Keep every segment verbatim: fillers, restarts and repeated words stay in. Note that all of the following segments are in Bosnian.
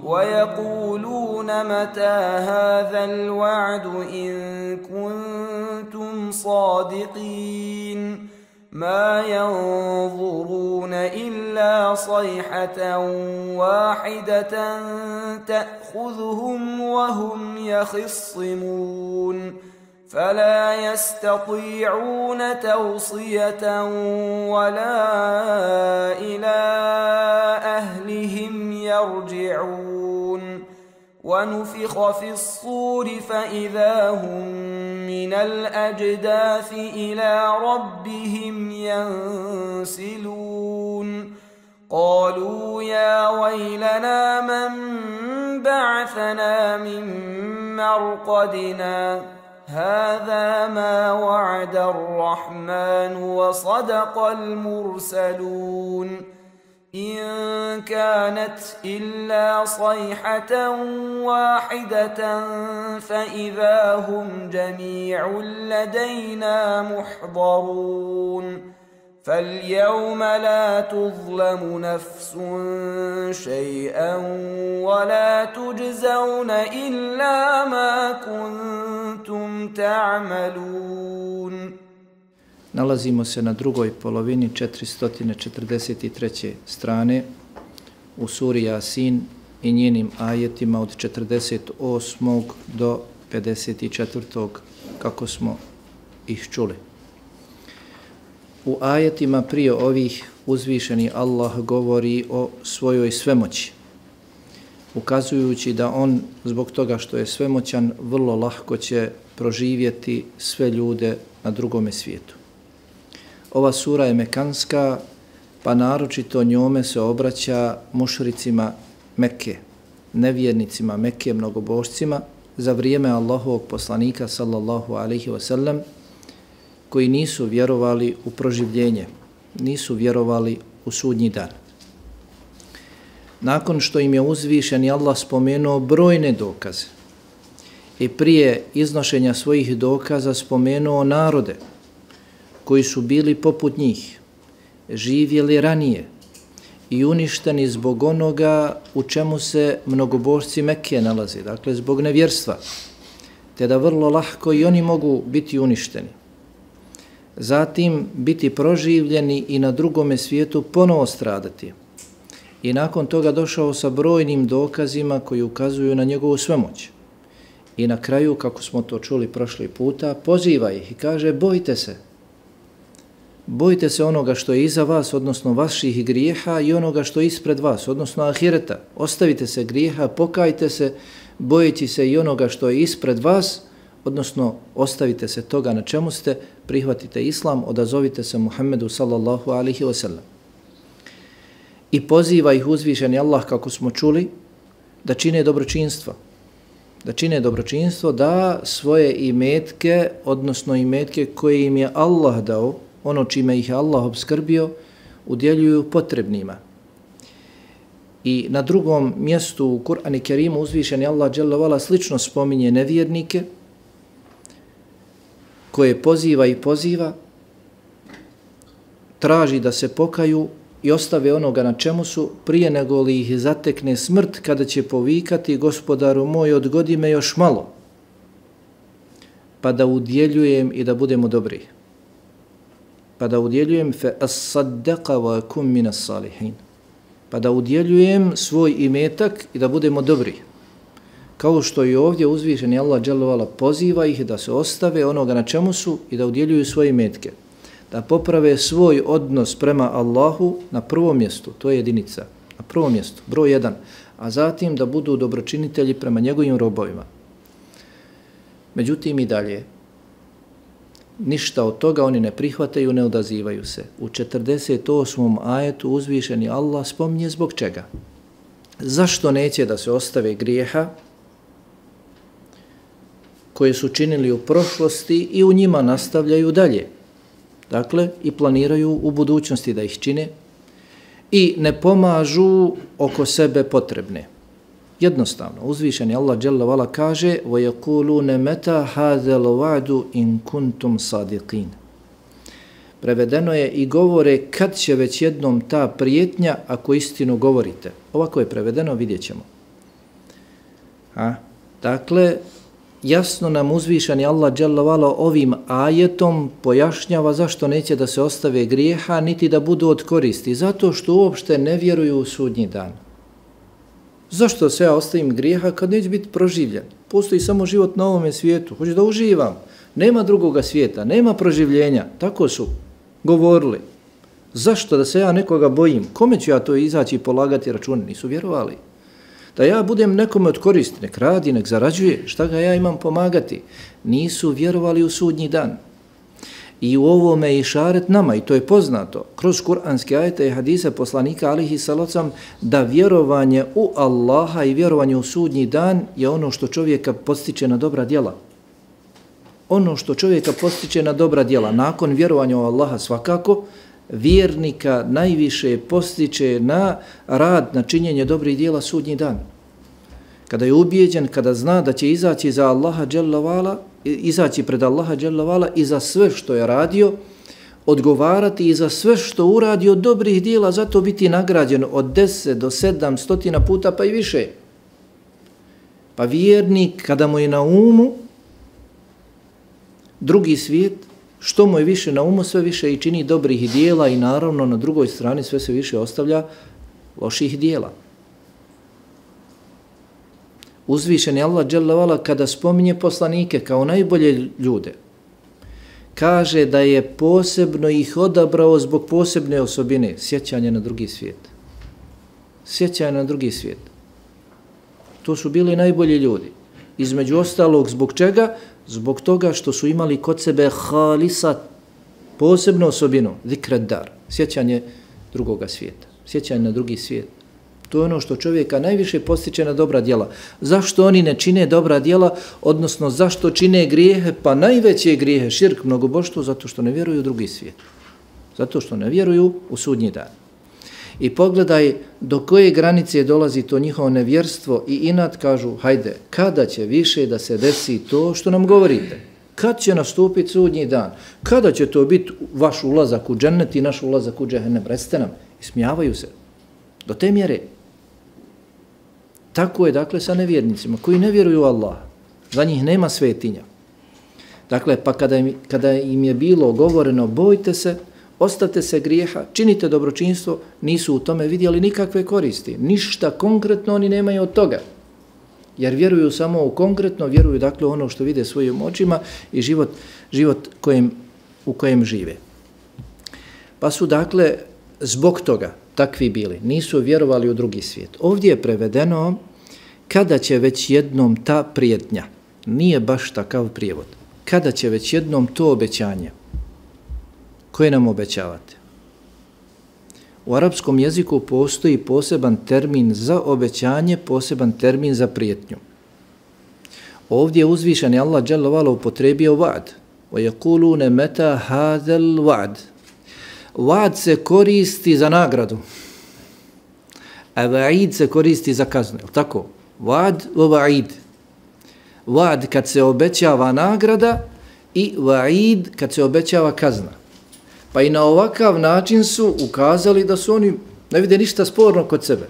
ويقولون متى هذا الوعد إن كنتم صادقين ما ينظرون إلا صيحة واحدة تأخذهم وهم يخصمون فلا يستطيعون توصية ولا إلى أهلهم يرجعون ونفخ في الصور فإذا هم من الأجداث إلى ربهم ينسلون قالوا يا ويلنا من بعثنا من مرقدنا هذا ما وعد الرحمن وصدق المرسلون إن كانت إلا صيحة واحدة فإذا هم جميع لدينا محضرون فاليوم لا تظلم نفس شيئا ولا تجزون إلا ما كنتم تعملون. Nalazimo se na drugoj polovini četiristo četrdeset treće strane u suri Jasin i njenim ajetima od četrdeset osmog do pedeset četvrtog kako smo ih čuli. U ajetima prije ovih uzvišeni Allah govori o svojoj svemoći, ukazujući da on zbog toga što je svemoćan vrlo lahko će proživjeti sve ljude na drugome svijetu. Ova sura je mekanska, pa naročito njome se obraća mušricima Mekke, nevjernicima Mekke, mnogobožcima, za vrijeme Allahovog poslanika sallallahu alaihi wasallam, koji nisu vjerovali u proživljenje, nisu vjerovali u sudnji dan. Nakon što im je uzvišeni Allah spomenuo brojne dokaze i prije iznošenja svojih dokaza spomenuo narode koji su bili poput njih, živjeli ranije i uništeni zbog onoga u čemu se mnogobožci Mekke nalaze, dakle zbog nevjerstva, te da vrlo lahko i oni mogu biti uništeni. Zatim biti proživljeni i na drugome svijetu ponovo stradati. I nakon toga došao sa brojnim dokazima koji ukazuju na njegovu svemoć. I na kraju, kako smo to čuli prošli puta, poziva ih i kaže bojte se. Bojte se onoga što je iza vas, odnosno vaših grijeha, i onoga što je ispred vas, odnosno ahireta. Ostavite se grijeha, pokajte se, bojeći se i onoga što je ispred vas, odnosno ostavite se toga na čemu ste, prihvatite islam, odazovite se Muhammedu sallallahu alaihi wasallam. I poziva ih uzvišeni Allah, kako smo čuli, da čine dobročinstvo. Da čine dobročinstvo, da svoje imetke, odnosno imetke koje im je Allah dao, ono čime ih je Allah obskrbio, udjeljuju potrebnima. I na drugom mjestu u Kur'anu Kerimu uzvišeni Allah dželle vala slično spominje nevjernike, koje poziva i poziva, traži da se pokaju i ostave onoga na čemu su, prije nego li ih zatekne smrt, kada će povikati gospodaru moj, odgodi me još malo, pa da udjeljujem i da budemo dobri. Pa da udjeljujem fe as-saddaqa wa kum min as-salihin. Pa da udjeljujem svoj imetak i da budemo dobri. Kao što i ovdje uzvišeni Allah dželle vala poziva ih da se ostave onoga na čemu su i da udjeljuju svoje imetke. Da poprave svoj odnos prema Allahu na prvom mjestu, to je jedinica, na prvom mjestu, broj jedan, a zatim da budu dobročinitelji prema njegovim robovima. Međutim i dalje, ništa od toga oni ne prihvataju, ne odazivaju se. U četrdeset osmom ajetu uzvišeni Allah spominje zbog čega. Zašto neće da se ostave grijeha koje su činili u prošlosti i u njima nastavljaju dalje. Dakle, i planiraju u budućnosti da ih čine i ne pomažu oko sebe potrebne. Jednostavno, uzvišeni Allah dželle vala kaže وَيَقُولُونَ مَتَا هَذَا الْوَعْدُ إِن كُنْتُمْ صَادِقِينَ. Prevedeno je i govore kad će već jednom ta prijetnja ako istinu govorite. Ovako je prevedeno, vidjet ćemo. A? Dakle, jasno nam uzvišeni Allah dželle vala ovim ajetom pojašnjava zašto neće da se ostave grijeha niti da budu od koristi. Zato što uopšte ne vjeruju u sudnji dan. Zašto se ja ostavim grijeha kad neće biti proživljen? Postoji samo život na ovome svijetu. Hoću da uživam. Nema drugoga svijeta, nema proživljenja. Tako su govorili. Zašto da se ja nekoga bojim? Kome ću ja to izaći i polagati račune? Nisu vjerovali. Da ja budem nekome od koristi, nek radi, nek zarađuje, šta ga ja imam pomagati? Nisu vjerovali u sudnji dan. I u ovome je išaret nama, i to je poznato, kroz kuranske ajete i hadise poslanika alihi salocam, da vjerovanje u Allaha i vjerovanje u sudnji dan je ono što čovjeka postiče na dobra djela. Ono što čovjeka postiče na dobra djela, nakon vjerovanja u Allaha svakako, vjernika najviše postiče na rad, na činjenje dobrih djela sudnji dan. Kada je ubijeđen, kada zna da će izaći za Allaha dželle vala, izaći pred Allaha dželle vala i za sve što je radio, odgovarati i za sve što uradio dobrih djela, zato biti nagrađen od deset do sedam stotina puta pa i više. Pa vjernik kada mu je na umu drugi svijet, što mu je više na umu, sve više i čini dobrih dijela i naravno na drugoj strani sve se više ostavlja loših dijela. Uzvišeni Allah dželle vala kada spominje poslanike kao najbolje ljude, kaže da je posebno ih odabrao zbog posebne osobine, sjećanje na drugi svijet. Sjećanje na drugi svijet. To su bili najbolji ljudi. Između ostalog, zbog čega? Zbog toga što su imali kod sebe halisat, posebnu osobinu, zikred dar, sjećanje drugoga svijeta, sjećanje na drugi svijet. To je ono što čovjeka najviše postiče na dobra djela. Zašto oni ne čine dobra djela, odnosno zašto čine grijehe, pa najveće grijehe, širk, mnogoboštvo, zato što ne vjeruju u drugi svijet. Zato što ne vjeruju u sudnji dan. I pogledaj do koje granice dolazi to njihovo nevjerstvo i inat, kažu, hajde, kada će više da se desi to što nam govorite? Kad će nastupiti sudnji dan? Kada će to biti vaš ulazak u džennet i naš ulazak u džehennem? Recite nam, ismijavaju se. Do te mjere. Tako je, dakle, sa nevjernicima koji ne vjeruju u Allaha. Za njih nema svetinja. Dakle, pa kada im, kada im je bilo govoreno, bojte se, ostavite se grijeha, činite dobročinstvo, nisu u tome vidjeli nikakve koristi. Ništa konkretno oni nemaju od toga. Jer vjeruju samo u konkretno, vjeruju dakle ono što vide svojim očima i život, život kojem, u kojem žive. Pa su dakle zbog toga takvi bili, nisu vjerovali u drugi svijet. Ovdje je prevedeno kada će već jednom ta prijetnja, nije baš takav prijevod, kada će već jednom to obećanje koje nam obećavate. U arapskom jeziku postoji poseban termin za obećanje, poseban termin za prijetnju. Ovdje je uzvišeni Allah dželle vala upotrebio vaad. وَيَقُولُونَ مَتَا هَذَا الْوَعْدِ. Vaad se koristi za nagradu, a vaid se koristi za kaznu. Je li tako? Vaad o vaid. Vaad kad se obećava nagrada i vaid kad se obećava kazna. Pa i na ovakav način su ukazali da su oni ne vide ništa sporno kod sebe.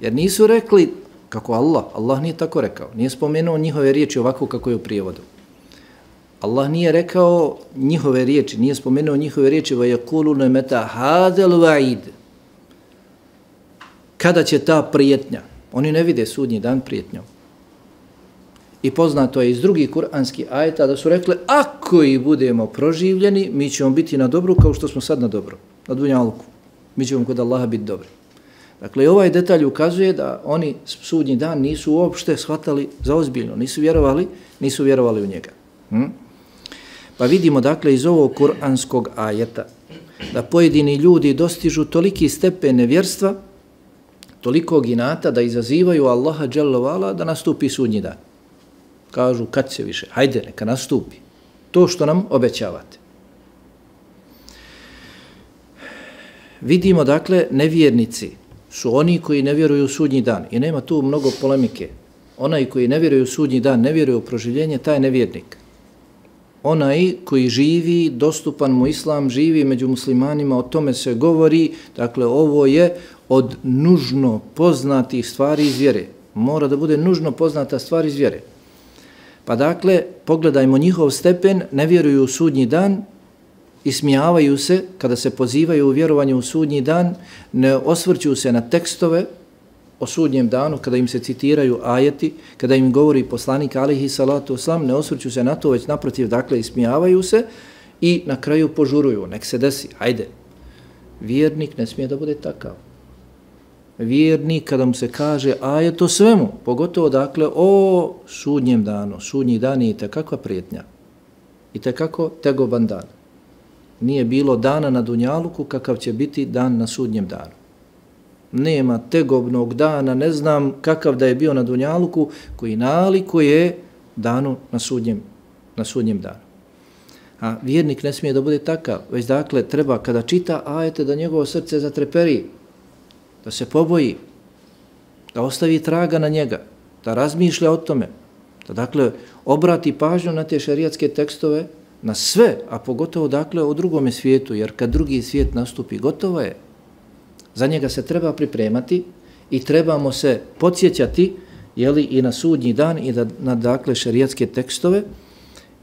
Jer nisu rekli kako Allah, Allah nije tako rekao. Nije spomenuo njihove riječi ovako kako je u prijevodu. Allah nije rekao njihove riječi, nije spomenuo njihove riječi وَيَقُولُونَ مَتَا هَذَا الْوَعِيدِ. Kada će ta prijetnja? Oni ne vide sudnji dan prijetnjom. I poznato je iz drugih kuranskih ajeta da su rekli ako i budemo proživljeni, mi ćemo biti na dobru kao što smo sad na dobru, na dunjalku. Mi ćemo kod Allaha biti dobri. Dakle, ovaj detalj ukazuje da oni sudnji dan nisu uopšte shvatali za ozbiljno, nisu vjerovali, nisu vjerovali u njega. Hm? Pa vidimo dakle iz ovog kuranskog ajeta da pojedini ljudi dostižu toliki stepen nevjerstva, tolikog inata da izazivaju Allaha dželle vala da nastupi sudnji dan. Kažu kad će više, hajde neka nastupi to što nam obećavate. Vidimo dakle nevjernici su oni koji ne vjeruju u sudnji dan i nema tu mnogo polemike. Onaj koji ne vjeruje u sudnji dan, ne vjeruje u proživljenje, taj je nevjernik. Onaj koji živi, dostupan mu islam, živi među muslimanima, o tome se govori, dakle ovo je od nužno poznatih stvari iz vjere. Mora da bude nužno poznata stvar iz vjere. Pa dakle, pogledajmo njihov stepen, ne vjeruju u sudnji dan, ismijavaju se kada se pozivaju u vjerovanje u sudnji dan, ne osvrću se na tekstove o sudnjem danu, kada im se citiraju ajeti, kada im govori poslanik alihi salatu oslam, ne osvrću se na to, već naprotiv, dakle, ismijavaju se i na kraju požuruju, nek se desi, hajde. Vjernik ne smije da bude takav. Vjernik, kada mu se kaže ajet o svemu, pogotovo, dakle, o sudnjem danu, sudnji dan je i tekakva prijetnja, i tekako tegoban dan. Nije bilo dana na Dunjaluku kakav će biti dan na sudnjem danu. Nema tegobnog dana, ne znam kakav da je bio na Dunjaluku, koji nalikuje danu na sudnjem, na sudnjem danu. A vjernik ne smije da bude takav, već dakle treba kada čita ajete da njegovo srce zatreperi, da se poboji, da ostavi traga na njega, da razmišlja o tome, da dakle obrati pažnju na te šerijatske tekstove, na sve, a pogotovo dakle o drugome svijetu, jer kad drugi svijet nastupi, gotovo je. Za njega se treba pripremati i trebamo se podsjećati, jeli, i na sudnji dan i da, na dakle šerijatske tekstove,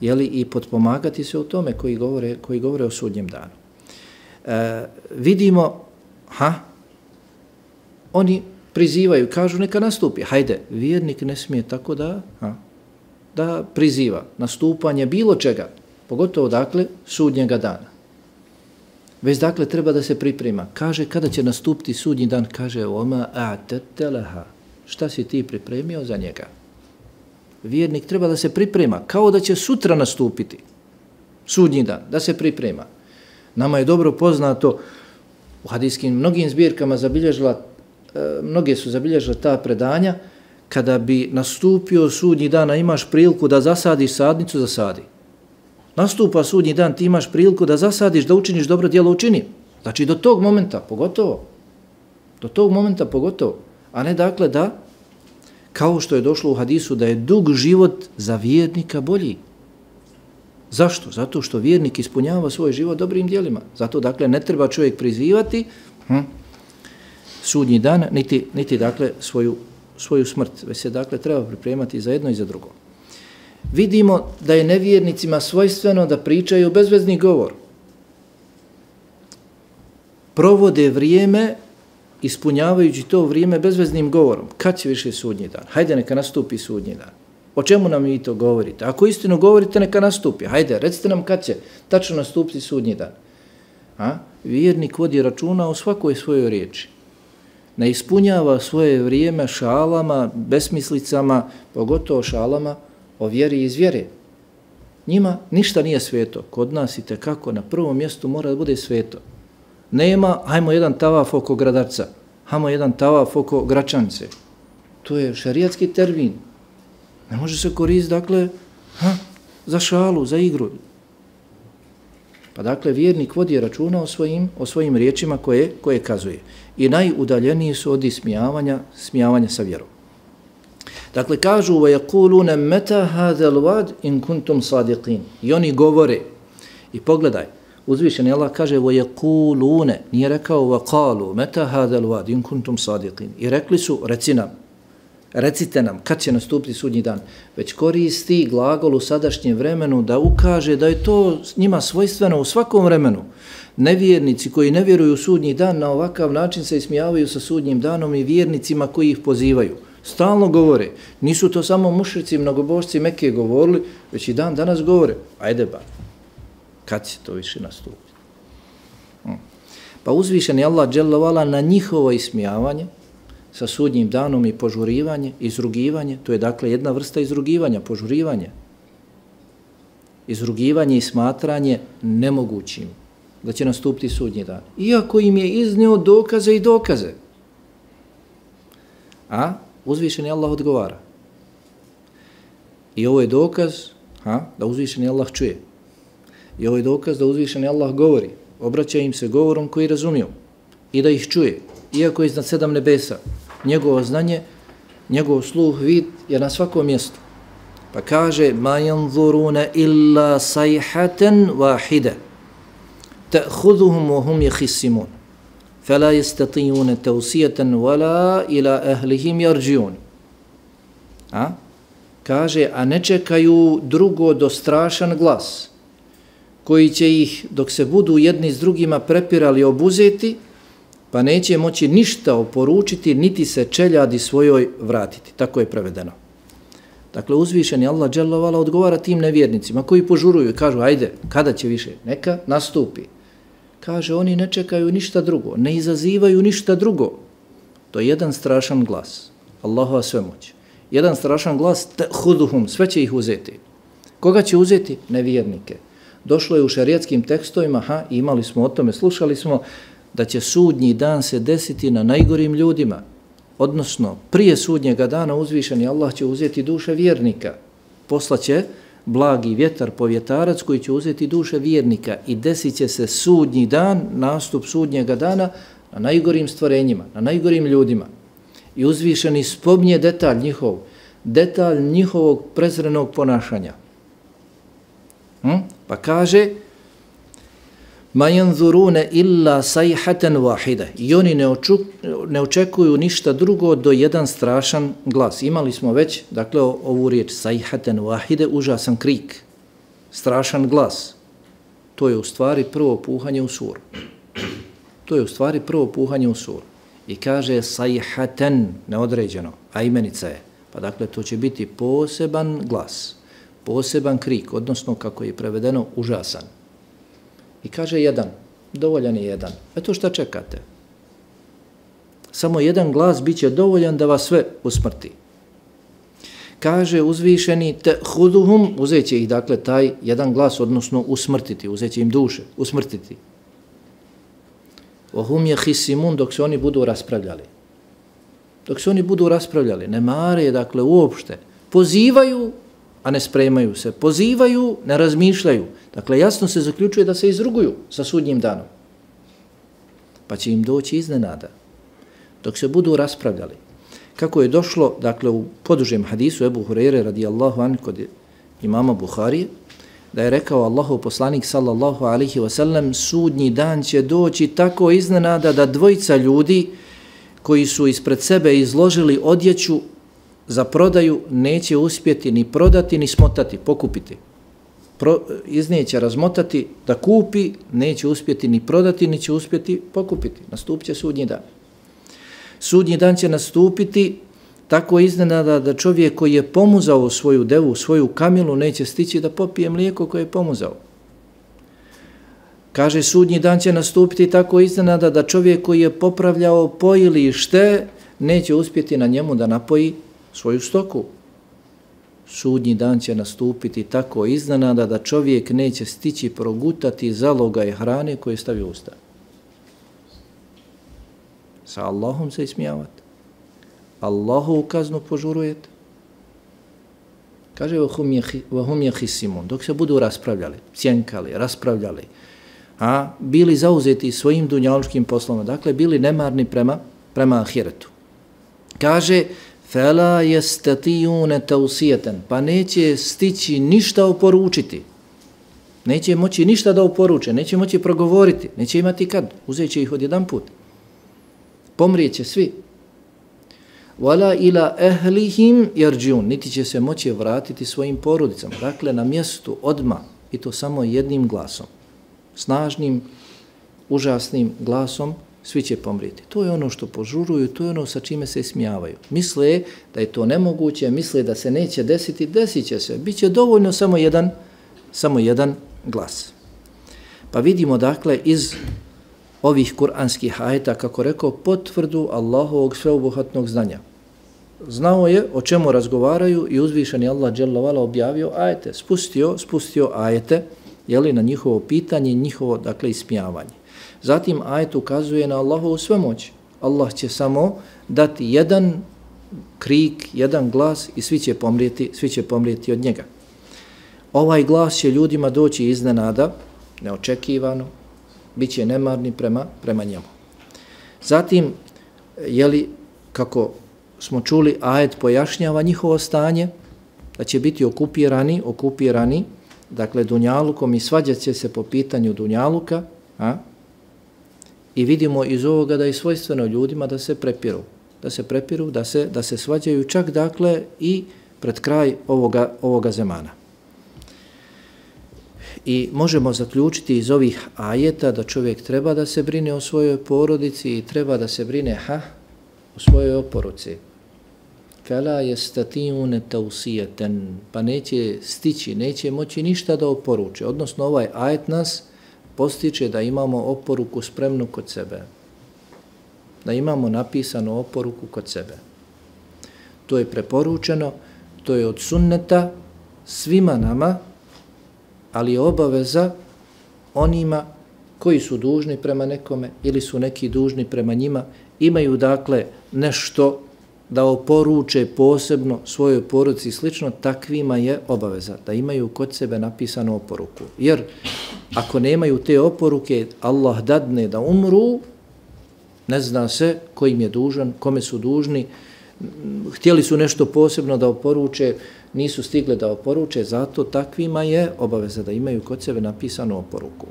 jeli, i potpomagati se u tome koji govore, koji govore o sudnjem danu. E, vidimo, ha, oni prizivaju, kažu neka nastupi, hajde, vjernik ne smije tako da, ha, da priziva nastupanje bilo čega, pogotovo dakle sudnjega dana. Već dakle treba da se priprema. Kaže kada će nastupiti sudnji dan, kaže oma a'tatalaha. Šta si ti pripremio za njega? Vjernik treba da se priprema kao da će sutra nastupiti sudnji dan, da se priprema. Nama je dobro poznato u hadijskim mnogim zbirkama zabilježila, mnoge su zabilježila ta predanja, kada bi nastupio sudnji dan, a imaš priliku da zasadiš sadnicu, zasadi. Nastupa sudnji dan, ti imaš priliku da zasadiš, da učiniš dobro djelo, učini. Znači do tog momenta, pogotovo. Do tog momenta, pogotovo. A ne dakle da, kao što je došlo u hadisu, da je dug život za vjernika bolji. Zašto? Zato što vjernik ispunjava svoj život dobrim djelima. Zato dakle ne treba čovjek prizivati hm, sudnji dan, niti, niti dakle svoju, svoju smrt. Već se dakle treba pripremati za jedno i za drugo. Vidimo da je nevjernicima svojstveno da pričaju bezvezni govor. Provode vrijeme ispunjavajući to vrijeme bezveznim govorom. Kad će više sudnji dan? Hajde neka nastupi sudnji dan. O čemu nam vi to govorite? Ako istinu govorite, neka nastupi. Hajde, recite nam kad će tačno nastupiti sudnji dan. A? Vjernik vodi računa o svakoj svojoj riječi. Ne ispunjava svoje vrijeme šalama, besmislicama, pogotovo šalama o vjeri iz vjere. Njima ništa nije sveto. Kod nas i tekako na prvom mjestu mora da bude sveto. Nema, hajmo jedan tavaf oko Gradarca, hajmo jedan tavaf oko Gračance. To je šerijatski termin. Ne može se koristiti, dakle, ha, za šalu, za igru. Pa dakle, vjernik vodi računa o svojim, o svojim riječima koje, koje kazuje. I najudaljeniji su od ismijavanja, smijavanja sa vjerom. Dakle, kažu, وَيَقُولُونَ مَتَا هَذَا الْوَادْ إِن كُنْتُمْ صَادِقِينَ. I oni govore. I pogledaj, uzvišeni Allah kaže وَيَقُولُونَ, nije rekao وَقَالُوا مَتَا هَذَا الْوَادْ إِن كُنْتُمْ صَادِقِينَ. I rekli su, reci nam, recite nam, kad će nastupiti sudnji dan. Već koristi glagol u sadašnjem vremenu da ukaže da je to njima svojstveno u svakom vremenu. Nevjernici koji ne vjeruju u sudnji dan na ovakav način se ismijavaju sa sudnjim danom i vjernicima koji ih pozivaju. Stalno govore. Nisu to samo mušrici, mnogobožci Mekke govorili, već i dan danas govore. Ajde ba, kad će to više nastupiti? Hmm. Pa uzvišen je Allah dželle na njihovo ismijavanje sa sudnjim danom i požurivanje, izrugivanje, to je dakle jedna vrsta izrugivanja, požurivanje. Izrugivanje i smatranje nemogućim da će nastupiti sudnji dan. Iako im je iznio dokaze i dokaze. A uzvišeni Allah odgovara. I ovo je dokaz ha, da uzvišeni Allah čuje. I ovo je dokaz da uzvišeni Allah govori. Obraća im se govorom koji razumiju. I da ih čuje. Iako je iznad sedam nebesa. Njegovo znanje, njegov sluh, vid je na svakom mjestu. Pa kaže ma yanzuruna illa sayhatan wahida ta'khudhuhum wa hum yakhisimun fala yastati'una tawsiyatan wala ila ahlihim yarji'un. A? Kaže, a ne čekaju drugo do strašan glas, koji će ih, dok se budu jedni s drugima prepirali, obuzeti, pa neće moći ništa oporučiti, niti se čeljadi svojoj vratiti. Tako je prevedeno. Dakle, uzvišeni Allah dželle vala odgovara tim nevjernicima koji požuruju i kažu, ajde, kada će više? Neka nastupi. Kaže, oni ne čekaju ništa drugo, ne izazivaju ništa drugo. To je jedan strašan glas. Allahova svemoć. Jedan strašan glas, huduhum, sve će ih uzeti. Koga će uzeti? Nevjernike. Došlo je u šerijatskim tekstovima, ha, imali smo o tome, slušali smo, da će sudnji dan se desiti na najgorim ljudima. Odnosno, prije sudnjega dana uzvišeni Allah će uzeti duše vjernika. Poslaće blagi vjetar, povjetarac koji će uzeti duše vjernika i desit će se sudnji dan, nastup sudnjega dana na najgorim stvorenjima, na najgorim ljudima. I uzvišeni spomnje detalj njihov, detalj njihovog prezrenog ponašanja. Hm? Pa kaže, ma yanzuruna illa sayhatan wahida. I oni ne, oču, ne očekuju ništa drugo do jedan strašan glas. Imali smo već, dakle, ovu riječ sayhatan wahide, užasan krik, strašan glas. To je u stvari prvo puhanje u suru. To je u stvari prvo puhanje u suru. I kaže sayhatan, neodređeno, a imenica je. Pa dakle, to će biti poseban glas, poseban krik, odnosno, kako je prevedeno, užasan. I kaže jedan, dovoljan je jedan. Eto šta čekate? Samo jedan glas bit će dovoljan da vas sve usmrti. Kaže uzvišeni, te huduhum, uzet će ih, dakle, taj jedan glas, odnosno usmrtiti, uzet će im duše, usmrtiti. Ohum je hisimun, dok se oni budu raspravljali. Dok se oni budu raspravljali, ne mare, dakle, uopšte, pozivaju, a ne spremaju se, pozivaju, ne razmišljaju. Dakle, jasno se zaključuje da se izruguju sa sudnjim danom. Pa će im doći iznenada. Dok se budu raspravljali. Kako je došlo, dakle, u podužem hadisu Ebu Hureyre radijallahu anhu kod imama Buharije, da je rekao Allahov poslanik sallallahu alaihi wasallam, sudnji dan će doći tako iznenada da dvojica ljudi koji su ispred sebe izložili odjeću za prodaju neće uspjeti ni prodati ni smotati, pokupiti. Pro, izneće razmotati da kupi, neće uspjeti ni prodati, ni će uspjeti pokupiti. Nastupit će sudnji dan. Sudnji dan će nastupiti tako iznenada da čovjek koji je pomuzao svoju devu, svoju kamilu, neće stići da popije mlijeko koje je pomuzao. Kaže, sudnji dan će nastupiti tako iznenada da čovjek koji je popravljao pojilište neće uspjeti na njemu da napoji svoju stoku. Sudnji dan će nastupiti tako iznenada da čovjek neće stići progutati zalogaj hrane koje stavi u usta. Sa Allahom se ismijavate. Allahu kaznu požurujete. Kaže, vahum je hisimun, dok se budu raspravljali, cjenkali, raspravljali, a bili zauzeti svojim dunjalučkim poslom, dakle bili nemarni prema, prema ahiretu. Kaže, fela yestatijune tausijeten, pa neće stići ništa oporučiti. Neće moći ništa da oporuče, neće moći progovoriti, neće imati kad, uzet će ih odjedan put. Pomrijeće svi. Wala ila ehlihim yarđun, niti će se moći vratiti svojim porodicama. Dakle, na mjestu odma, i to samo jednim glasom, snažnim, užasnim glasom, svi će pomrijeti. To je ono što požuruju, to je ono sa čime se smijavaju. Misle da je to nemoguće, misle da se neće desiti, desit će se. Biće dovoljno samo jedan, samo jedan glas. Pa vidimo, dakle, iz ovih kuranskih ajeta, kako rekao, potvrdu Allahovog sveobuhvatnog znanja. Znao je o čemu razgovaraju i uzvišeni Allah dželle vala objavio ajete, spustio, spustio ajete, jeli, na njihovo pitanje, njihovo, dakle, ismijavanje. Zatim ajet ukazuje na Allahovu svemoć. Allah će samo dati jedan krik, jedan glas i svi će pomrijeti, svi će pomrijeti od njega. Ovaj glas će ljudima doći iznenada, neočekivano, bit će nemarni prema, prema njemu. Zatim, jeli, kako smo čuli, ajet pojašnjava njihovo stanje, da će biti okupirani, okupirani, dakle, dunjalukom i svađat će se po pitanju dunjaluka, a? I vidimo iz ovoga da je svojstveno ljudima da se prepiru, da se prepiru, da se, da se svađaju čak, dakle, i pred kraj ovoga, ovoga zemana. I možemo zaključiti iz ovih ajeta da čovjek treba da se brine o svojoj porodici i treba da se brine ha, o svojoj oporuci. Fela yastati'une tawsiyatan, pa neće stići, neće moći ništa da oporuče. Odnosno ovaj ajet nas postiče da imamo oporuku spremnu kod sebe. Da imamo napisanu oporuku kod sebe. To je preporučeno, to je od sunneta svima nama, ali je obaveza onima koji su dužni prema nekome ili su neki dužni prema njima, imaju dakle nešto da oporuče posebno svojoj porodici i slično, takvima je obaveza da imaju kod sebe napisanu oporuku. Jer ako nemaju te oporuke, Allah dadne da umru, ne zna se ko im je dužan, kome su dužni, htjeli su nešto posebno da oporuče, nisu stigli da oporuče, zato takvima je obaveza da imaju kod sebe napisanu oporuku.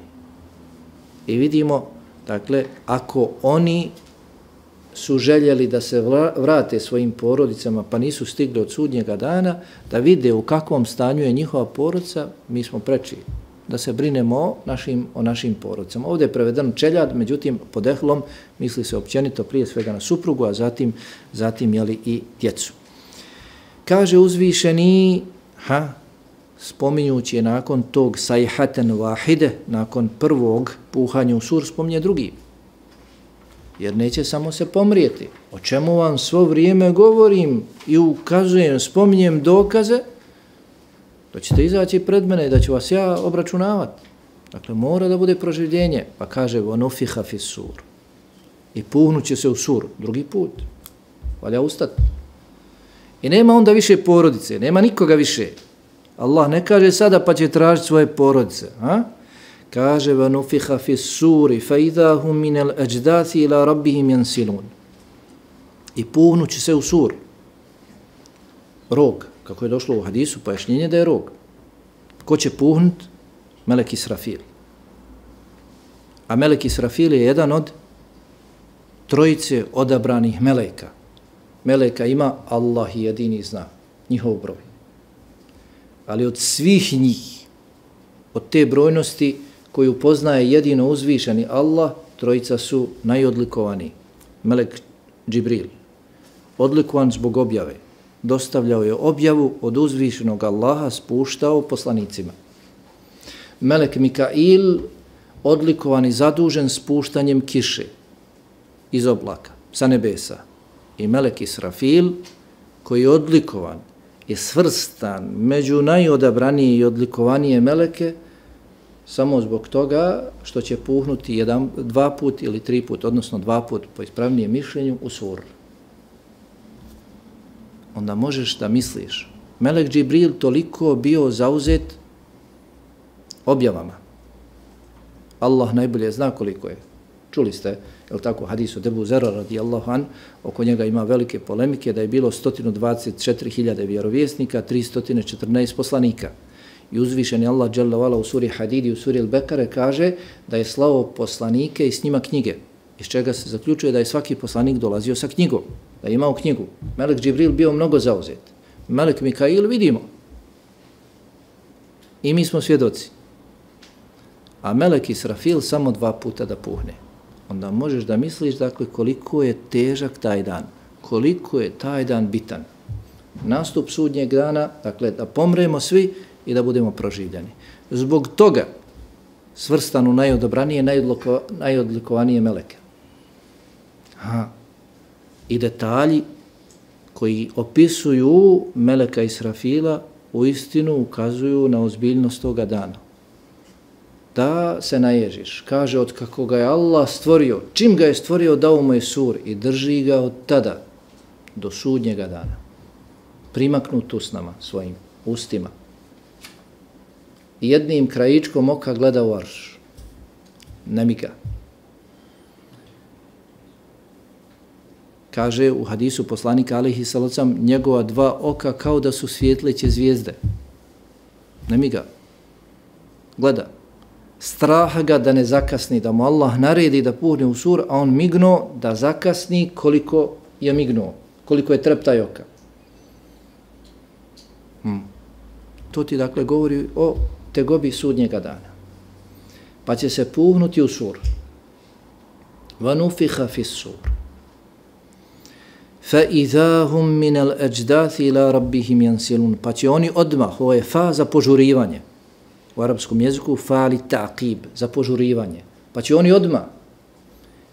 I vidimo, dakle, ako oni su željeli da se vrate svojim porodicama, pa nisu stigli od sudnjega dana, da vide u kakvom stanju je njihova porodica, mi smo preči da se brinemo o našim, o našim porodicama. Ovdje je preveden čeljad, međutim, pod ehlom misli se općenito prije svega na suprugu, a zatim, zatim jeli i djecu. Kaže uzvišeni, ha, spominjući je nakon tog sajhaten wahide, nakon prvog puhanja u sur, spominje drugi. Jer neće samo se pomrijeti. O čemu vam svo vrijeme govorim i ukazujem, spominjem dokaze, da ćete izaći pred mene i da ću vas ja obračunavati. Dakle, mora da bude proživljenje. Pa kaže, وَنُفِحَ فِي السُّورِ i puhnuće se u sur, drugi put. Valja ustati. I nema onda više porodice, nema nikoga više. Allah ne kaže sada pa će tražiti svoje porodice. A? Kaže, وَنُفِحَ فِي السُّورِ فَإِذَا هُمْ مِنَ الْأَجْدَاثِ إِلَى رَبِّهِمْ يَنْسِلُونَ i puhnuće se u sur. Rog, kako je došlo u hadisu, pojašnjenje da je rog. Ko će puhnut? Melek Israfil. A Melek Israfil je jedan od trojice odabranih meleka. Meleka ima, Allah jedini zna njihov broj. Ali od svih njih, od te brojnosti koju poznaje jedino uzvišeni Allah, trojica su najodlikovani. Melek Džibril, odlikovan zbog objave. Dostavljao je objavu od uzvišenog Allaha, spuštao poslanicima. Melek Mikail, odlikovan i zadužen spuštanjem kiše iz oblaka, sa nebesa. I Melek Israfil, koji je odlikovan i svrstan među najodabranije i odlikovanije meleke, samo zbog toga što će puhnuti jedan, dva put ili tri put, odnosno dva put po ispravnijem mišljenju u sur. Onda možeš da misliš, Melek Džibril toliko bio zauzet objavama. Allah najbolje zna koliko je. Čuli ste, je li tako, hadisu Ebu Zera radijallahu an, oko njega ima velike polemike, da je bilo sto dvadeset četiri hiljade vjerovjesnika, tristo četrnaest poslanika. I uzvišeni Allah dželle vala u suri Hadidi, u suri Al-Bekare kaže da je slao poslanike i s njima knjige. Iz čega se zaključuje da je svaki poslanik dolazio sa knjigom, da je imao knjigu. Melek Džibril bio mnogo zauzet. Melek Mikail vidimo. I mi smo svjedoci. A Melek Israfil samo dva puta da puhne. Onda možeš da misliš, dakle, koliko je težak taj dan, koliko je taj dan bitan. Nastup sudnjeg dana, dakle, da pomremo svi i da budemo proživljeni. Zbog toga svrstan u najodobranije, najodliko, najodlikovanije meleke. Ha. I detalji koji opisuju Meleka Israfila u istinu ukazuju na ozbiljnost toga dana. Da se naježiš. Kaže, od kako ga je Allah stvorio, čim ga je stvorio, dao mu je sur i drži ga od tada do sudnjega dana. Primaknut usnama svojim ustima. I jednim krajičkom oka gleda u arš. Ne miga. Kaže u hadisu poslanika alejhi salacom, njegova dva oka kao da su svjetleće zvijezde. Ne miga. Gleda. Straha ga da ne zakasni, da mu Allah naredi da puhne u sur, a on mignuo da zakasni koliko je mignuo, koliko je treptaj oka. Hmm. To ti dakle govori o tegobi sudnjega dana. Pa će se puhnuti u sur. وَنُفِخَ فِي السُّورِ فَإِذَا هُمْ مِنَ الْأَجْدَاثِ إِلَى رَبِّهِمْ يَنْسِلُونَ. Pa će oni odmah, ovo je fa za požurivanje. U arapskom jeziku fa li ta'qib, za požurivanje. Pa će oni odmah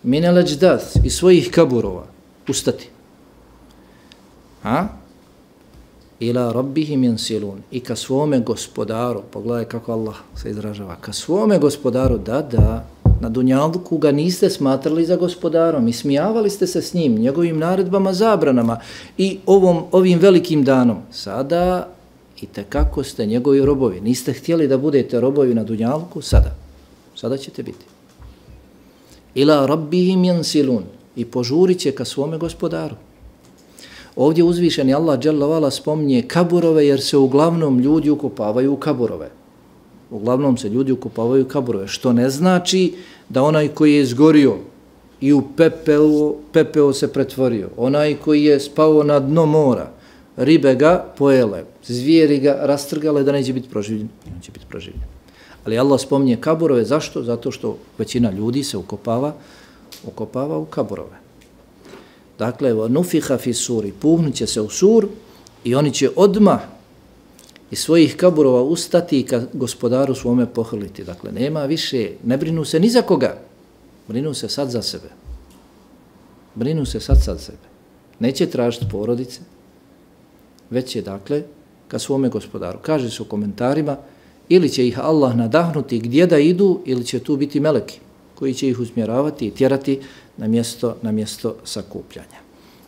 min al-ajdath iz svojih kaburova ustati. A? Ila rabbihim yansilun. I ka svome gospodaru, pogledaj kako Allah se izražava, ka svome gospodaru, da, da, na dunjalku ga niste smatrali za gospodarom i smijavali ste se s njim, njegovim naredbama, zabranama i ovom, ovim velikim danom. Sada i tekako ste njegovi robovi. Niste htjeli da budete robovi na dunjalku, sada. Sada ćete biti. Ila rabbihim yansilun. I požurit će ka svome gospodaru. Ovdje uzvišeni Allah dželle ve ala spominje kaburove jer se uglavnom ljudi ukopavaju u kaburove. Uglavnom se ljudi ukopavaju u kaburove, što ne znači da onaj koji je izgorio i u pepeo, pepeo se pretvorio, onaj koji je spao na dno mora, ribe ga pojele, zvijeri ga rastrgale da neće biti proživljen, neće biti proživljen. Ali Allah spominje kaburove, zašto? Zato što većina ljudi se ukopava, ukopava u kaburove. Dakle, nufiha fi suri, puhnuće se u sur i oni će odmah iz svojih kaburova ustati i ka gospodaru svome pohrliti. Dakle, nema više, ne brinu se ni za koga, brinu se sad za sebe. Brinu se sad za sebe. Neće tražiti porodice, već je, dakle, ka svome gospodaru. Kaže se u komentarima, ili će ih Allah nadahnuti gdje da idu, ili će tu biti meleki koji će ih usmjeravati i tjerati na mjesto, na mjesto sakupljanja.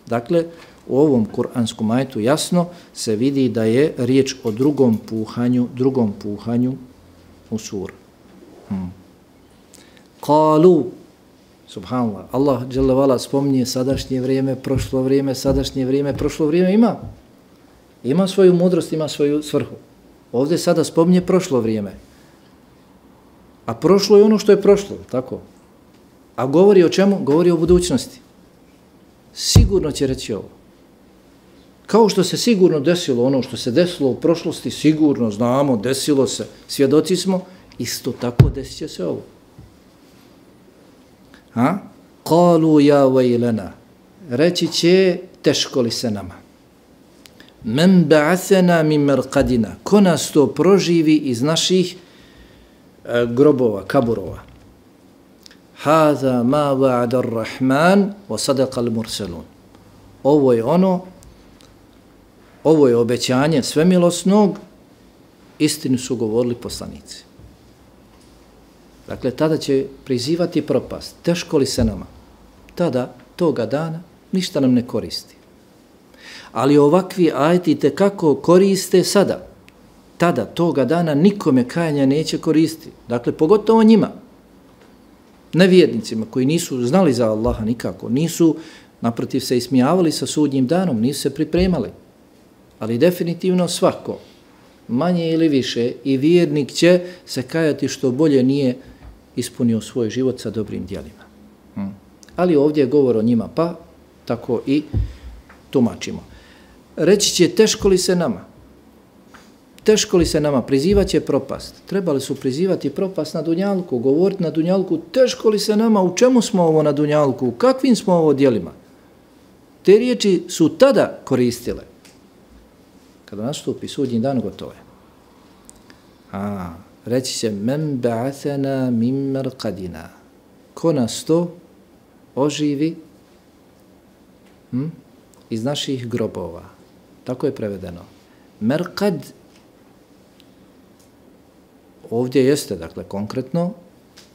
Dakle, u ovom kuranskom ajetu jasno se vidi da je riječ o drugom puhanju, drugom puhanju u sur. Hmm. Kalu, subhanallah, Allah dželle ve ala spominje sadašnje vrijeme, prošlo vrijeme, sadašnje vrijeme, prošlo vrijeme ima. Ima svoju mudrost, ima svoju svrhu. Ovdje sada spominje prošlo vrijeme. A prošlo je ono što je prošlo, tako? A govori o čemu? Govori o budućnosti. Sigurno će reći ovo. Kao što se sigurno desilo ono što se desilo u prošlosti, sigurno znamo, desilo se, svjedoci smo, isto tako desit će se ovo. Ha? Kalu ja vajlena. Reći će, teško li se nama. Men ba'athena min marqadina. Ko nas to proživi iz naših e, grobova, kaburova. Hada ma wa'ada ar-Rahman wa sadaqa al-mursalun. Ovo je ono, ovo je obećanje svemilosnog, istinu su govorili poslanici. Dakle, tada će prizivati propast. Teško li se nama? Tada, toga dana, ništa nam ne koristi. Ali ovakvi ajeti tekako koriste sada. Tada, toga dana, nikome kajanja neće koristiti. Dakle, pogotovo njima. Nevjernicima koji nisu znali za Allaha nikako, nisu naprotiv se ismijavali sa sudnjim danom, nisu se pripremali. Ali definitivno svako, manje ili više, i vjernik će se kajati što bolje nije ispunio svoj život sa dobrim djelima. Hmm. Ali ovdje je govor o njima, pa tako i tumačimo. Reći će, teško li se nama? Teško li se nama? Prizivat će propast. Trebali su prizivati propast na dunjalku, govoriti na dunjalku, teško li se nama? U čemu smo ovo na dunjalku? U kakvim smo ovo djelima? Te riječi su tada koristile. Kada nastupi sudnji dan, gotovo je. A, reći će, men ba'athena min marqadina. Ko nas to oživi hm? iz naših grobova. Tako je prevedeno. Merqad ovdje jeste, dakle, konkretno,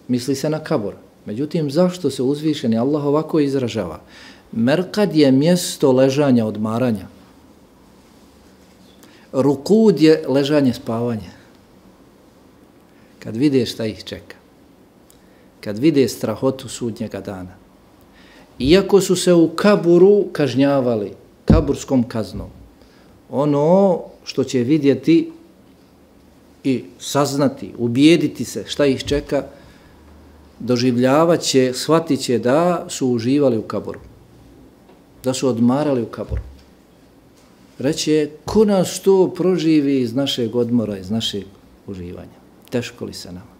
misli se na kabur. Međutim, zašto se uzvišeni Allah ovako izražava? Merqad je mjesto ležanja, odmaranja. Rukud je ležanje, spavanje. Kad vide šta ih čeka. Kad vide strahotu sudnjega dana. Iako su se u kaburu kažnjavali, kaburskom kaznom, ono što će vidjeti i saznati, ubijediti se šta ih čeka, doživljavat će, shvatit će da su uživali u kaburu. Da su odmarali u kaburu. reće, ko nas to proživi iz našeg odmora, iz našeg uživanja? Teško li se nama?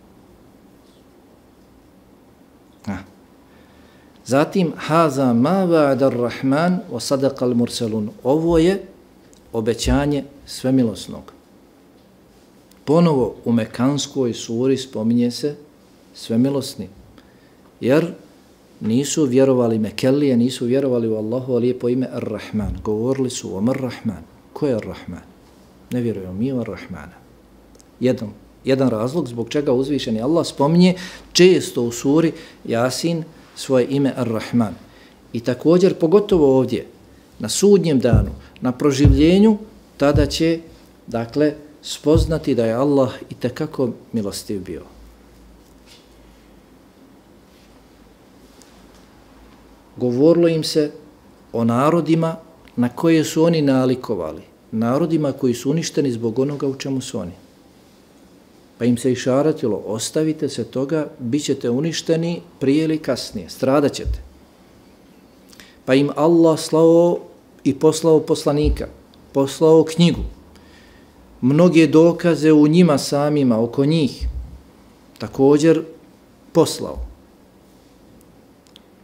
A. Zatim, haza ma va'ada ar-Rahman wa sadaqa al-mursalun. Ovo je obećanje svemilosnog. Ponovo u Mekanskoj suri spominje se svemilosni. Jer nisu vjerovali Mekelije, nisu vjerovali u Allahu lijepo ime Ar-Rahman. Govorili su o Ar-Rahman. Ko je Ar-Rahman? Ne vjeruju mi u Ar-Rahmana. Jedan, jedan razlog zbog čega uzvišeni Allah spominje često u suri Jasin svoje ime Ar-Rahman. I također, pogotovo ovdje, na sudnjem danu, na proživljenju, tada će, dakle, spoznati da je Allah itekako milostiv bio. Govorilo im se o narodima na koje su oni nalikovali, narodima koji su uništeni zbog onoga u čemu su oni. Pa im se išaratilo, ostavite se toga, bit ćete uništeni prije ili kasnije, stradat ćete. Pa im Allah slao i poslao poslanika, poslao knjigu, mnoge dokaze u njima samima, oko njih, također poslao.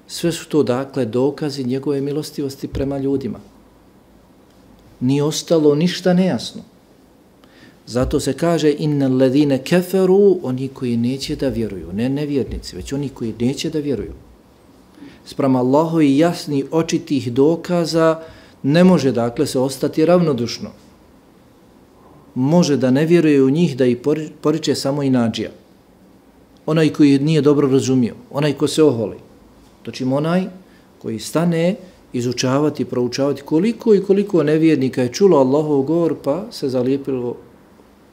Sve su to, dakle, dokazi njegove milostivosti prema ljudima. Nije ostalo ništa nejasno. Zato se kaže innal ladine keferu, oni koji neće da vjeruju, ne nevjernici, već oni koji neće da vjeruju. Sprem Allahovi jasni očitih dokaza ne može, dakle, se ostati ravnodušno. Može da ne vjeruje u njih, da ih poriče samo inadžija. Onaj koji nije dobro razumio, onaj ko se oholi. Točim onaj koji stane izučavati, proučavati koliko i koliko nevjernika je čulo Allahov govor pa se zalijepilo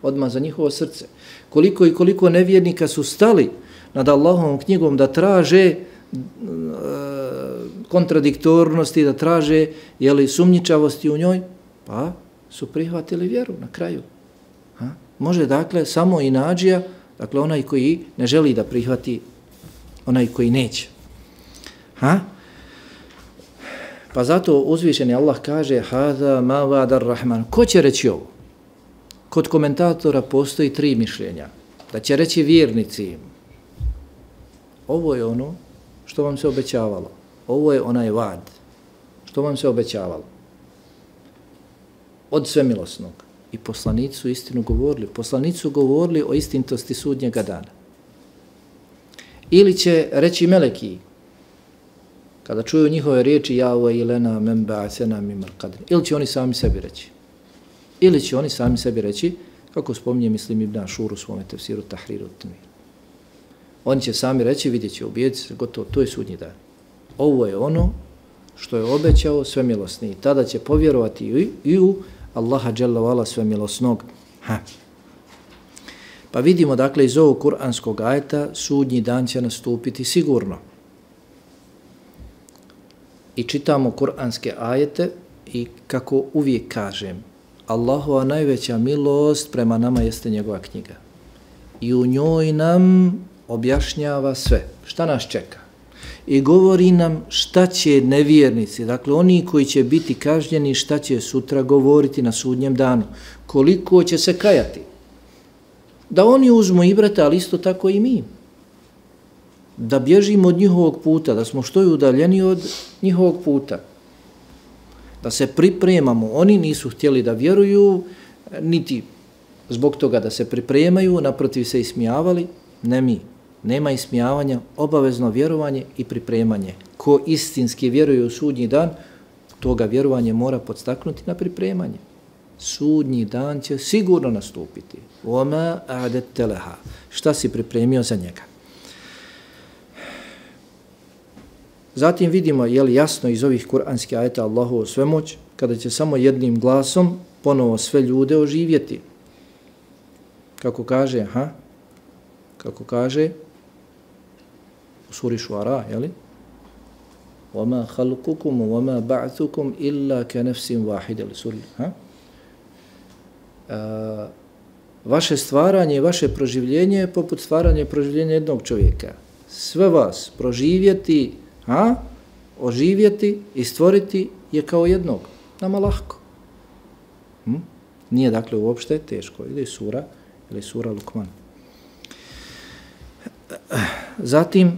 odmah za njihovo srce. Koliko i koliko nevjernika su stali nad Allahovom knjigom da traže e, kontradiktornosti, da traže jeli, sumnjičavosti u njoj, pa su prihvatili vjeru na kraju. Ha? Može dakle samo inadžija, dakle onaj koji ne želi da prihvati, onaj koji neće. Ha? Pa zato uzvišeni Allah kaže hada ma va'ada ar-Rahman. Ko će reći ovo? Kod komentatora postoji tri mišljenja. Da će reći vjernici, ovo je ono što vam se obećavalo. Ovo je onaj vad što vam se obećavalo. Od svemilosnog. I poslanici su istinu govorili. Poslanici su govorili o istinitosti sudnjega dana. Ili će reći meleki, kada čuju njihove riječi ja wa ilena men ba'athana min marqadin. Ili će oni sami sebi reći. Ili će oni sami sebi reći, kako spominje Mislim ibn Ašur u svome tefsiru Tahriru Tanvir. Oni će sami reći, vidjet će, ubijeti se, gotovo, to je sudnji dan. Ovo je ono što je obećao svemilosni. Tada će povjerovati i, i u Allaha dželle vala svemilosnog. Ha. Pa vidimo, dakle, iz ovog kuranskog ajeta sudnji dan će nastupiti sigurno. I čitamo kuranske ajete i kako uvijek kažem, Allahova najveća milost prema nama jeste njegova knjiga. I u njoj nam objašnjava sve. Šta nas čeka? I govori nam šta će nevjernici, dakle oni koji će biti kažnjeni, šta će sutra govoriti na sudnjem danu. Koliko će se kajati. Da oni uzmu ibrata, ali isto tako i mi. Da bježimo od njihovog puta, da smo što je udaljeni od njihovog puta. Da se pripremamo. Oni nisu htjeli da vjeruju, niti zbog toga da se pripremaju, naprotiv se ismijavali, ne mi. Nema ismijavanja, obavezno vjerovanje i pripremanje. Ko istinski vjeruje u sudnji dan, toga vjerovanje mora podstaknuti na pripremanje. Sudnji dan će sigurno nastupiti. Oma a'dadta laha. Šta si pripremio za njega? Zatim vidimo, je li jasno iz ovih kuranskih ajeta Allahovu svemoć, kada će samo jednim glasom ponovo sve ljude oživjeti. Kako kaže, ha? Kako kaže u suri Šuara, je li? وَمَا خَلْقُكُمْ وَمَا بَعْثُكُمْ إِلَّا كَنَفْسٍ وَاحِدَ suri, ha? A, vaše stvaranje i vaše proživljenje je poput stvaranja i proživljenja jednog čovjeka. Sve vas proživjeti, a oživjeti i stvoriti je kao jednog. Nama lahko. Hm? Nije dakle uopšte teško. Ili sura, ili sura Lukman. Zatim,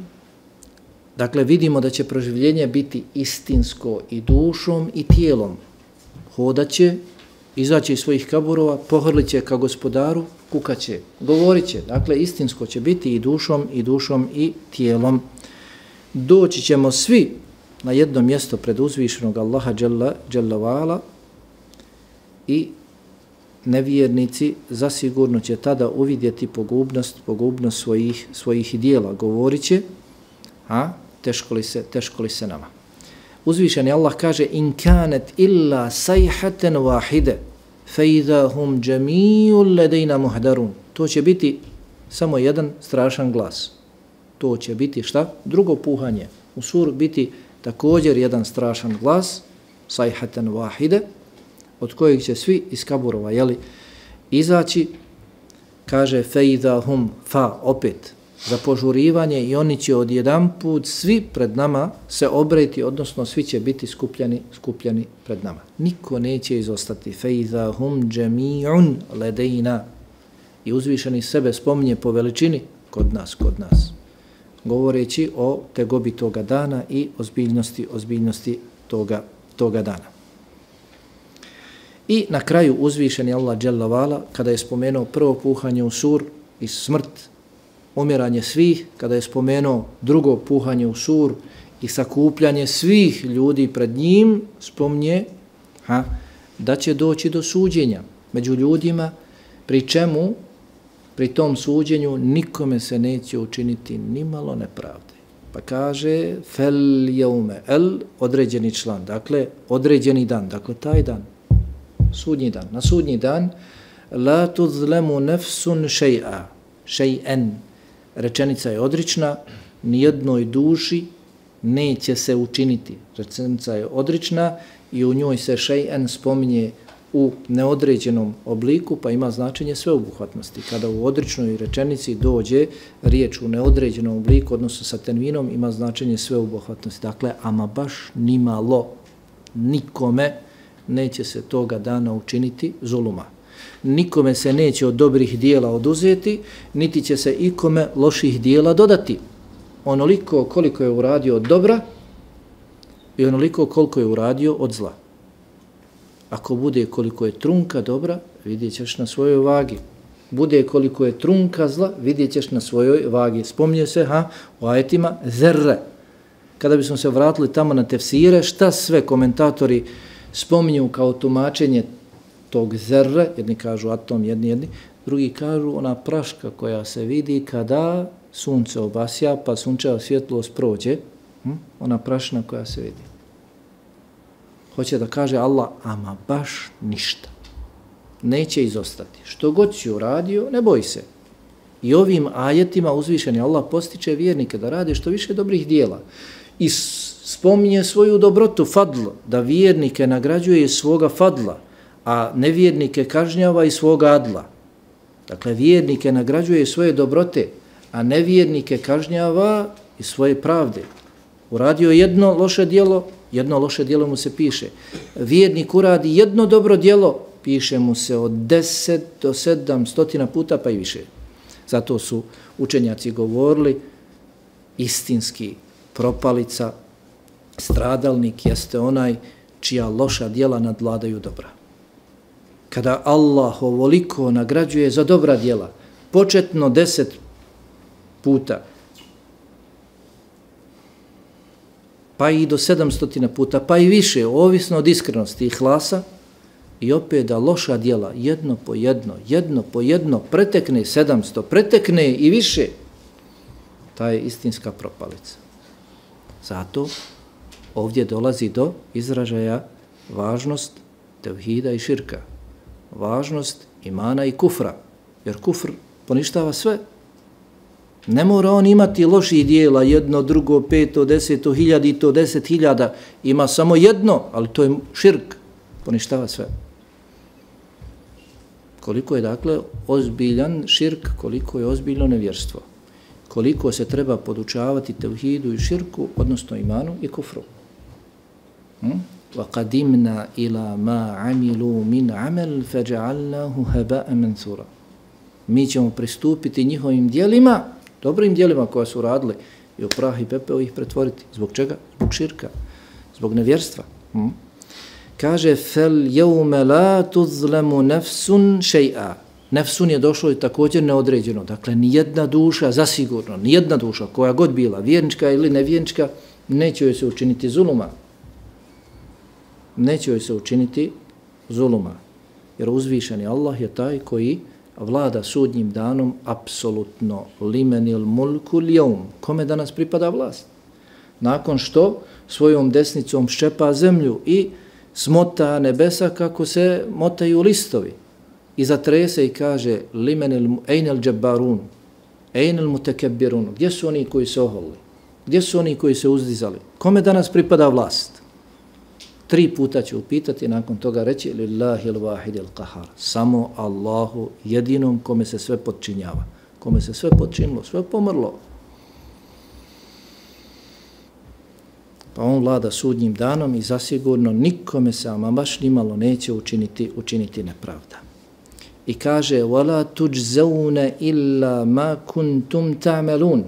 dakle, vidimo da će proživljenje biti istinsko i dušom i tijelom. Hodaće, izaći iz svojih kaburova, pohrlit će ka gospodaru, kukaće, govorit će. Dakle, istinsko će biti i dušom, i dušom, i tijelom. Doći ćemo svi na jedno mjesto pred uzvišenog Allaha dželle, dželle vala i nevjernici zasigurno će tada uvidjeti pogubnost, pogubnost svojih, svojih dijela. Govorit će, a, teško li se, teško li se nama. Uzvišeni Allah kaže in kanet illa sayhatan wahide fa idha hum jami'un ladayna muhdarun. To će biti samo jedan strašan glas. To će biti šta? Drugo puhanje. U suru biti također jedan strašan glas, sayhatan wahide, od kojeg će svi iz kaburova jeli, izaći, kaže fa idha hum fa opet za požurivanje i oni će odjedanput svi pred nama se obreti, odnosno svi će biti skupljani, skupljani pred nama. Niko neće izostati. Feiza hum džemi'un ledejna. I uzvišeni sebe spominje po veličini kod nas, kod nas. Govoreći o tegobi toga dana i ozbiljnosti, ozbiljnosti toga, toga dana. I na kraju uzvišeni Allah dželle vala, kada je spomenuo prvo puhanje u sur i smrt, umiranje svih, kada je spomenuo drugo puhanje u sur i sakupljanje svih ljudi pred njim, spomnje ha, da će doći do suđenja među ljudima, pri čemu, pri tom suđenju, nikome se neće učiniti nimalo nepravde. Pa kaže, fel jeume, el, određeni član, dakle, određeni dan, dakle, taj dan, sudnji dan, na sudnji dan, la tuzlemu nefsun še'a, še'en, rečenica je odrična, nijednoj duši neće se učiniti. Rečenica je odrična i u njoj se šej'en spominje u neodređenom obliku, pa ima značenje sveobuhvatnosti. Kada u odričnoj rečenici dođe riječ u neodređenom obliku, odnosno sa tenvinom, ima značenje sveobuhvatnosti. Dakle, ama baš nimalo, nikome neće se toga dana učiniti zuluma. Nikome se neće od dobrih dijela oduzeti, niti će se ikome loših dijela dodati. Onoliko koliko je uradio od dobra i onoliko koliko je uradio od zla. Ako bude koliko je trunka dobra, vidjet ćeš na svojoj vagi. Bude koliko je trunka zla, vidjet ćeš na svojoj vagi. Spominje se ha, u ajetima zerre. Kada bismo se vratili tamo na tefsire, šta sve komentatori spominju kao tumačenje tog zerre, jedni kažu atom, jedni jedni, drugi kažu ona praška koja se vidi kada sunce obasja, pa sunčeva svjetlost prođe, hm? Ona prašna koja se vidi. Hoće da kaže Allah, ama baš ništa. Neće izostati. Što god si uradio, ne boj se. I ovim ajetima uzvišeni Allah postiče vjernike da rade što više dobrih dijela. I spominje svoju dobrotu, fadl, da vjernike nagrađuje iz svoga fadla, a nevjernike kažnjava iz svoga adla. Dakle, vjernike nagrađuje svoje dobrote, a nevjernike kažnjava iz svoje pravde. Uradio jedno loše djelo, jedno loše djelo mu se piše. Vjernik uradi jedno dobro djelo, piše mu se od deset do sedam stotina puta pa i više. Zato su učenjaci govorili, istinski propalica, stradalnik jeste onaj čija loša djela nadvladaju dobra. Kada Allah ovoliko nagrađuje za dobra djela, početno deset puta, pa i do sedamstotina puta, pa i više, ovisno od iskrenosti i hlasa, i opet da loša djela jedno po jedno, jedno po jedno, pretekne sedamsto, pretekne i više, ta je istinska propalica. Zato ovdje dolazi do izražaja važnost tevhida i širka, važnost imana i kufra, jer kufr poništava sve. Ne mora on imati loših dijela, jedno, drugo, peto, deseto, hiljadito, deset hiljada, ima samo jedno, ali to je širk, poništava sve. Koliko je dakle ozbiljan širk, koliko je ozbiljno nevjerstvo, koliko se treba podučavati tevhidu i širku, odnosno imanu i kufru. Hm? وَقَدِمْنَا إِلَى مَا عَمِلُوا مِنْ عَمَلْ فَجَعَلْنَاهُ هَبَاءً مَنْثُورًا. Mi ćemo pristupiti njihovim djelima, dobrim djelima koja su radili, i u prah i pepeo ih pretvoriti. Zbog čega? Zbog širka, zbog nevjerstva. Hm? Kaže, فَالْيَوْمَ لَا تُظْلَمُ نَفْسٌ شَيْئًا. Nefsun je došlo i također neodređeno. Dakle, nijedna duša, zasigurno, nijedna duša, koja god bila, vjernička ili nevjernička, neće joj se učiniti zuluma. Neće joj se učiniti zuluma. Jer uzvišeni Allah je taj koji vlada sudnjim danom apsolutno limenil mulku ljevm. Kome danas pripada vlast? Nakon što svojom desnicom ščepa zemlju i smota nebesa kako se motaju listovi. I zatrese i kaže limenil ejnel džabbarun, ejnel mutekebbirun. Gdje su oni koji se oholili? Gdje su oni koji se uzdizali? Kome danas pripada vlast? Tri puta će upitati, nakon toga reći lillahil wahidil qahar. Samo Allahu jedinom kome se sve podčinjava. Kome se sve podčinilo, sve pomrlo. Pa on vlada sudnjim danom i zasigurno nikome se ama baš nimalo neće učiniti, učiniti nepravda. I kaže wala tujzauna illa ma kuntum ta'malun.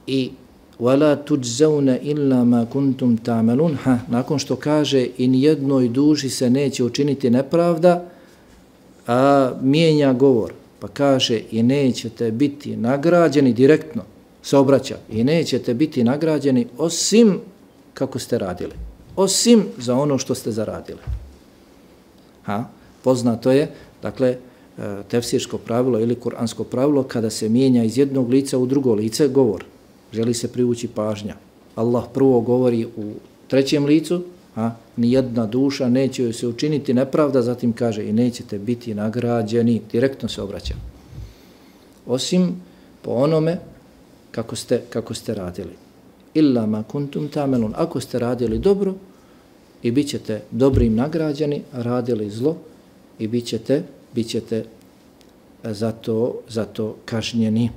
I wala tujzauna illa ma kuntum ta'malun. Ha, nakon što kaže i nijednoj duši se neće učiniti nepravda, a mijenja govor, pa kaže i nećete biti nagrađeni direktno, se obraća, i nećete biti nagrađeni osim kako ste radili, osim za ono što ste zaradili. Ha, poznato je, dakle, tefsirsko pravilo ili kuransko pravilo, kada se mijenja iz jednog lica u drugo lice govor, želi se privući pažnja. Allah prvo govori u trećem licu, a nijedna duša neće joj se učiniti nepravda, zatim kaže i nećete biti nagrađeni, direktno se obraća. Osim po onome kako ste, kako ste radili. Illa ma kuntum ta'malun. Ako ste radili dobro i bit ćete dobrim nagrađeni, radili zlo i bit ćete, bit ćete zato, zato kažnjeni.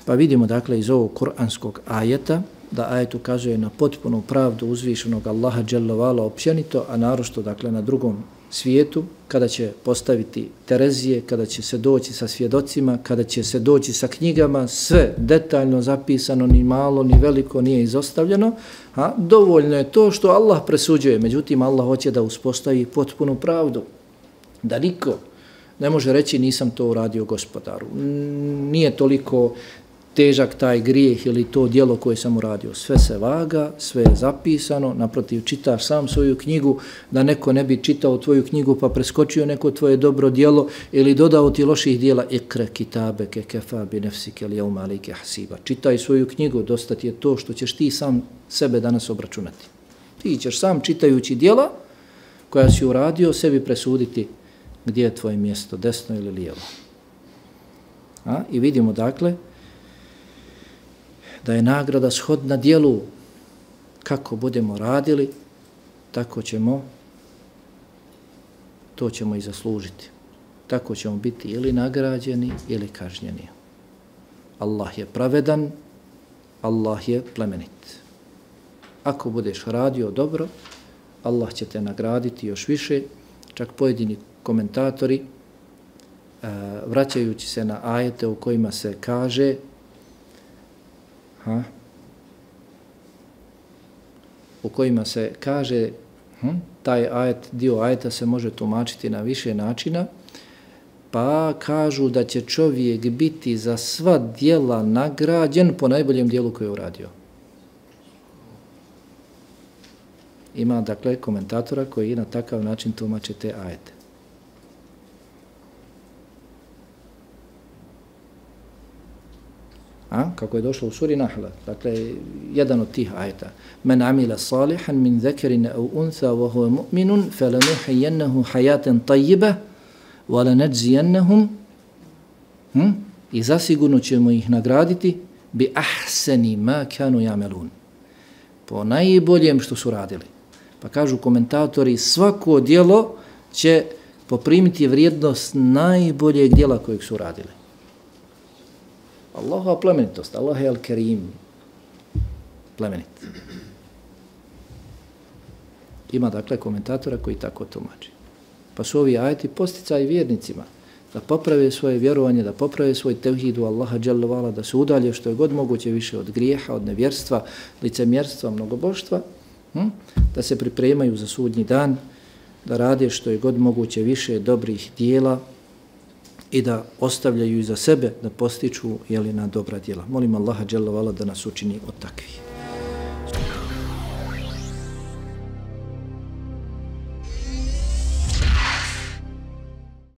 Pa vidimo dakle iz ovog kuranskog ajeta da ajet ukazuje na potpunu pravdu uzvišenog Allaha dželle vala općenito, a naročito dakle na drugom svijetu, kada će postaviti Terezije, kada će se doći sa svjedocima, kada će se doći sa knjigama, sve detaljno zapisano, ni malo, ni veliko nije izostavljeno, a dovoljno je to što Allah presuđuje. Međutim, Allah hoće da uspostavi potpunu pravdu, da niko ne može reći nisam to uradio Gospodaru. Nije toliko težak taj grijeh ili to djelo koje sam uradio. Sve se vaga, sve je zapisano, naprotiv čitaš sam svoju knjigu, da neko ne bi čitao tvoju knjigu pa preskočio neko tvoje dobro djelo ili dodao ti loših djela. Ikra kitabeke kefa bi nefsike li jevma alike hasiba. Čitaj svoju knjigu, dosta ti je to što ćeš ti sam sebe danas obračunati. Ti ćeš sam čitajući djela koja si uradio sebi presuditi gdje je tvoje mjesto, desno ili lijevo. A? I vidimo dakle da je nagrada shodna djelu. Kako budemo radili, tako ćemo, to ćemo i zaslužiti. Tako ćemo biti ili nagrađeni ili kažnjeni. Allah je pravedan, Allah je plemenit. Ako budeš radio dobro, Allah će te nagraditi još više. Čak pojedini komentatori, vraćajući se na ajete u kojima se kaže Ha? u kojima se kaže hm, taj ajet, dio ajeta se može tumačiti na više načina, pa kažu da će čovjek biti za sva djela nagrađen po najboljem djelu koje je uradio. Ima dakle komentatora koji na takav način tumače te ajete. A, kako je došlo u suri Nahla, dakle, jedan od tih ajeta. Men amila salihan min zekerin au untha wa huwa mu'minun falanuhiyannahu hayatan tayyiba wa lanajziyannahum hm? I zasigurno ćemo ih nagraditi bi ahsani ma kanu ya'malun. Po najboljem što su radili. Pa kažu komentatori, svako djelo će poprimiti vrijednost najboljeg djela kojeg su radili. Allahova plemenitost, Allah je al-Karim, plemenit. Ima dakle komentatora koji tako tumači. Pa su ovi ajeti posticaj vjernicima da poprave svoje vjerovanje, da poprave svoj tevhid u Allaha dželle vala, da se udalje što je god moguće više od grijeha, od nevjerstva, licemjerstva, mnogoboštva, hm? da se pripremaju za sudnji dan, da rade što je god moguće više dobrih dijela i da ostavljaju iza sebe, da postiču jeli, na dobra djela. Molim Allaha dželle vala da nas učini od takvih.